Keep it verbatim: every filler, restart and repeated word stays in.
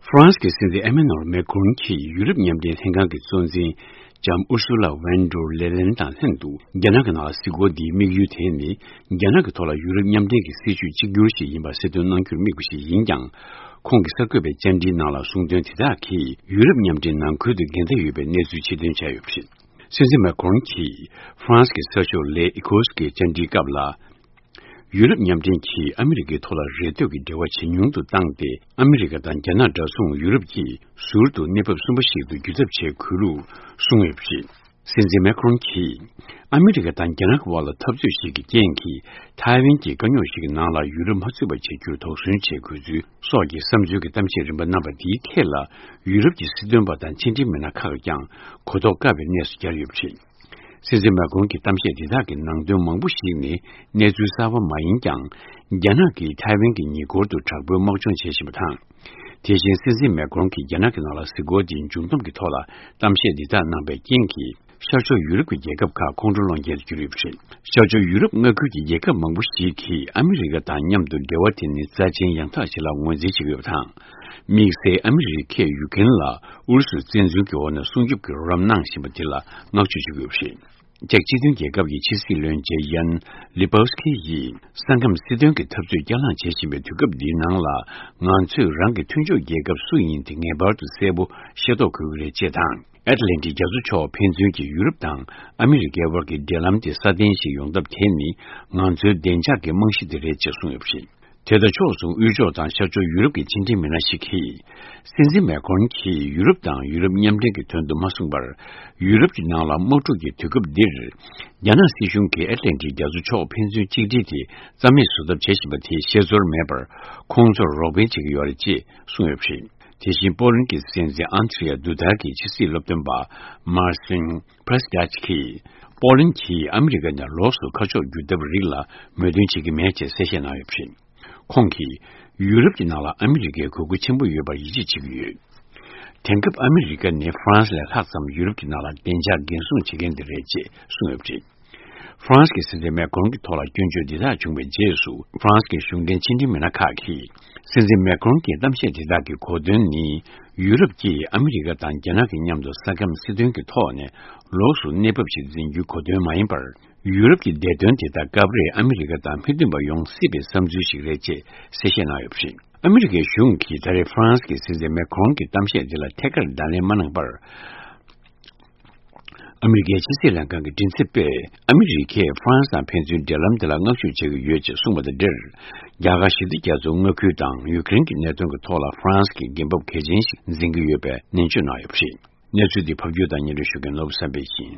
ཧྥ་རན་སི་གི་སྲིད་འཛིན་ཨེ་མེ་ནོར་མེ་ཁོན་གྱིས་ཡུ་རོབ་མཉམ་འབྲེལ་ལྷན་ཁང་གི་གཙོ་འཛིན་ལྕམ་ཨུར་སུ་ལ་ཝན་ཌར་ལེ་ལེན་དང་ལྷན་དུ། རྒྱ་ནག་གི་ནང་ལ་གཟིགས་སྐོར་འདིའི་དམིགས་ཡུལ་དེ་ནི། རྒྱ་ནག་གི་ཐོག་ལ་ཡུ་རོབ་མཉམ་འབྲེལ་གྱི་སྲིད་བྱུས་གཅིག་གྱུར་ཞིག་ཡིན་པ་གསལ་སྟོན་གནང་རྒྱུར་དམིགས་པ་ཞིག་ཡིན་ཀྱང་། ཁོང་གིས་གསར་འགོད་པའི་བཅར་འདྲིའི་ནང་ལ་གསུངས་དོན་དེ་དག་གིས་ཡུ་རོབ་མཉམ་འབྲེལ་ནང་ཁུལ་དུ་འགལ་ཟླ་ཡོད་པའི་གནས་ཚུལ་ཕྱིར་འདོན་བྱས་ཡོད་པ་རེད། སྲིད་འཛིན་མེ་ཁོན་གྱིས་ཧྥ་རན་སི་གི་གསར་ཤོག་ལེ་ཨི་ཁོ་སི་གི་བཅར་འདྲིའི་སྐབས་ལ། ཡུ་རོབ་མཉམ་འབྲེལ་གྱིས་ཨ་མི་རི་ཀའི་ཐོག་ལ་རེ་ལྟོས་ཀྱི་འབྲེལ་བ་ཇེ་ཉུང་དུ་བཏང་སྟེ། ཨ་མི་རི་ཀ་དང་རྒྱ་ནག་འདྲ་མཚུངས་ཡུ་རོབ་ཀྱིས་ཟུར་དུ་གནས་བབ་གསུམ་པ་ཞིག་ཏུ་འགྱུར་ཐབས་བྱེད་དགོས་ལུགས་གསུངས་ཡོད་པ་རེད། སྲིད་འཛིན་མེ་ཁོན་གྱིས། ཨ་མི་རི་ཀ་དང་རྒྱ་ནག་གི་དབར་ལ་འཐབ་རྩོད་ཞིག་གི་རྐྱེན་གྱིས། ཐའེ་ཝན་གྱི་དཀའ་རྙོག་ཞིག་གི་ནང་ལ་ཡུ་རོབ་མ་ཚུད་པ་བྱེད་རྒྱུར་དོགས་ཟོན་བྱེད་དགོས་ཚུལ་སོགས་ཀྱི་བསམ་ཚུལ་གྱི་གཏམ་བཤད་རིམ་པ་གནང་བ་འདིའི་ཐད་ལ། ཡུ་རོབ་ཀྱི་སྲིད་དོན་པ་དང་ཕྱི་འབྲེལ་མི་སྣ་ཁག་ཀྱང་གོ་རྟོགས་དཀའ་བའི་གནས་སུ་གྱར་ཡོད་པ་རེད། སྲིད་འཛིན་མེ་ཁོན་གྱི་གཏམ་བཤད་འདི་དག་གི་ནང་དོན་མང་པོ་ཞིག་ནི་གནས་ཚུལ་གསར་པ་མ་ཡིན་ཀྱང་། རྒྱ་ནག་གིས་ཐའེ་ཝན་གྱི་ཉེ་འཁོར་དུ་དྲག་པོའི་དམག་སྦྱོང་བྱེད་བཞིན་པ་དང་། དེ་བཞིན་སྲིད་འཛིན་མེ་ཁོན་གྱིས་རྒྱ་ནག་གི་ནང་ལ་གཟིགས་སྐོར་དེའི་མཇུག་བསྡོམས་ཀྱི་ཐོག་ལ་གཏམ་བཤད་འདི་དག་གནང་པའི་རྐྱེན་གྱིས། ཤར་ཕྱོགས་ཡུ་རོབ་ཀྱི་རྒྱལ་ཁབ་ཁག་ཁོང་ཁྲོ་སློང་རྐྱེན་དུ་གྱུར་ཡོད་པ་རེད། ཤར་ཕྱོགས་ཡུ་རོབ་མངའ་ཁུལ་གྱི་རྒྱལ་ཁབ་མང་པོ་ཞིག་གིས་ཨ་མི་རི་ཀ་དང་མཉམ་དུ་འབྲེལ་བ་དེ་ནི་རྩ་ཆེན་ཡང་དག་ཞིག་ལ་ངོས་འཛིན་བྱེད་ཀྱི་ཡོད་པ་དང་། དམིགས་བསལ་ཨ་མི་རི་ཀས་ཡུ་ཀེན་ལ་ཨུ་རུ་སུའི་བཙན་འཛུལ་གྱི་འོག་ནས་སྲུང་སྐྱོབ་ཀྱི་རོགས་རམ་གནང་བཞིན་པ་དེ་ལ་བསྔགས་བརྗོད་བྱེད་ཀྱི་ཡོད་པ་རེད། ཅེཀ་སྤྱི་མཐུན་རྒྱལ་ཁབ་ཀྱི་ཕྱི་སྲིད་བློན་ཆེན་ཡན་ལི་པོ་སི་ཁི་ཡིས། ས་ཁམས་སྲིད་དོན་གྱི་འཐབ་རྩོད་བསྐྱར་ལངས་བྱེད་བཞིན་པའི་དུས་སྐབས་འདིའི་ནང་ལ། ང་ཚོས་རང་གི་མཐུན་ཕྱོགས་རྒྱལ་ཁབ་སུ་ཡིན་དེ་ངེས་པར་དུ་གསལ་པོ་ཤེས་རྟོགས་དགོས་ཀྱི་རེད་ཅེས་དང་། ཨེཊ་ལན་ཊིག་རྒྱ་མཚོ་ཕྱོགས་ཕན་ཚུན་གྱི་ཡུ་རོབ་དང་ཨ་མི་རི་ཀའི་དབར་གྱི་འབྲེལ་ལམ་དེ་སྲ་བརྟན་ཞིག་ཡོང་ཐབས་དེ་ནི་ང་ཚོའི་བདེ་འཇགས་ཀྱི་རྨང་གཞི་དེ་རེད་ཅེས་གསུངས་ཡོད་པ་རེད། དེ་དང་ཕྱོགས་མཚུངས་དབུས་ཕྱོགས་དང་ཤར་ཕྱོགས་ཡུ་རོབ་ཀྱི་ཕྱི་འབྲེལ་མི་སྣ་ཞིག་གིས། སྲིད་འཛིན་མེ་ཁོན་གྱིས་ཡུ་རོབ་དང་ཡུ་རོབ་མཉམ་འབྲེལ་གྱི་དོན་དུ་མ་གསུངས་པར། ཡུ་རོབ་ཀྱི་ནང་ལ་དམག་འཁྲུག་གི་དུས་སྐབས་འདིར། རྒྱ་ནག་སྲིད་གཞུང་གིས་ཨེཊ་ལན་ཊིག་རྒྱ་མཚོ་ཕྱོགས་ཕན་ཚུན་གཅིག་སྒྲིལ་དེ་རྩ་མེད་བཟོ་ཐབས་བྱེད་བཞིན་པ་དེ་ཤེས་ཚོར་མེད་པར། ཁོང་ཚོར་རོགས་ཕན་བྱེད་ཀྱི་ཡོད་རེད་ཅེས་གསུངས་ཡོད་པ་རེད། དེ་བཞིན་པོ་ལན་གྱི་སྲིད་འཛིན་ཨན་ཏྲི་ཡ་དུ་ད་གིས་ཕྱི་སྲིད་སློབ་སྟོན་པ་མར་སིན་པྲེ་སི་ཀྱ་ཅི་གིས། པོ་ལན་གྱིས་ཨ་མི་རི་ཀ་ནས་ལོགས་སུ་ཁ་ཕྱོགས་བསྒྱུར་ཐབས་རིགས་ལ་མོས་མཐུན་བྱེད་ཀྱི་མེད་ཅེས་གསལ་བཤད་གནང་ཡོད་པ་རེད། ཁོང་གིས། ཡུ་རོབ་ཀྱི་ནང་ལ་ཨ་མི་རི་ཀའི་དགོས་མཁོ་ཆེན་པོ་ཡོད་པར་ཡིད་ཆེས་བྱེད་ཀྱི་ཡོད། དེང་སྐབས་ཨ་མི་རི་ཀ་ནི་ཧྥ་རན་སི་ལས་ལྷག་ཙམ་ཡུ་རོབ་ཀྱི་ནང་ལ་བདེ་འཇགས་འགན་སྲུང་བྱེད་མཁན་དེ་རེད་ཅེས་གསུངས་ཡོད་པ་རེད། ཧྥ་རན་སི་གི་སྲིད་འཛིན་མེ་ཁོན་གྱི་ཐོག་ལ་སྐྱོན་བརྗོད་འདི་དག་བྱུང་བའི་རྗེས་སུ། ཧྥ་རན་སི་གི་གཞུང་འབྲེལ་ཕྱི་འབྲེལ་མི་སྣ་ཁག་གིས། སྲིད་འཛིན་མེ་ཁོན་གྱི་གཏམ་བཤད་འདི་དག་གི་གོ་དོན་ནི། ཡུ་རོབ་ཀྱིས་ཨ་མི་རི་ཀ་དང་རྒྱ་ནག་གི་མཉམ་དུ་ས་ཁམས་སྲིད་དོན་གྱི་ཐོག་ནས་ལོགས་སུ་གནས་བབ་ཞིག་འཛིན་རྒྱུའི་གོ་དོན་མ་ཡིན་པར། ཡུ་རོབ་ཀྱི་བདེ་དོན་དེ་དག་སྐབས་རེ་ཨ་མི་རི་ཀ་དང་མི་མཐུན་པ་ཡོང་སྲིད་པའི་བསམ་ཚུལ་ཞིག་རེད་ཅེས་གསལ་བཤད་གནང་ཡོད་པ་རེད། ཨ་མི་རི་ཀའི་གཞུང་གིས་ད་རེས་ཧྥ་རན་སི་གི་སྲིད་འཛིན་མེ་ཁོན་གྱི་གཏམ་བཤད་དེ་ལ་ཐད་ཀར་བརྡ་ལན་མ་གནང་པར། ཨ་མི་རི་ཀའི་ཕྱི་སྲིད་ལྷན་ཁང་གི་མགྲིན་ཚབ་པས། ཨ་མི་རི་ཀས་ཧྥ་རན་སི་དང་ཕན་ཚུན་འབྲེལ་ལམ་དེ་ལ་བསྔགས་བརྗོད་བྱེད་ཀྱི་ཡོད་ཅེས་གསུངས་པ་དང་འབྲེལ། རྒྱ་གར་ཞི་བདེ་རྒྱ་མཚོའི་མངའ་ཁུལ་དང་ཡུ་ཀེ་རེན་གྱི་གནད་དོན་གྱི་ཐོག་ལ་ཧྥ་རན་སི་གི་འགན་བབ་གལ་ཆེན་ཞིག་འཛིན་གྱི་ཡོད་པའི་ནན་བརྗོད་གནང་ཡོད་པ་རེད། གནས་ཚུལ་འདི་ཕབ་སྒྱུར་དང་སྙན་སྒྲོན་ཞུ་མཁན་ནོར་བུ་བསམ་འཕེལ་ཡིན།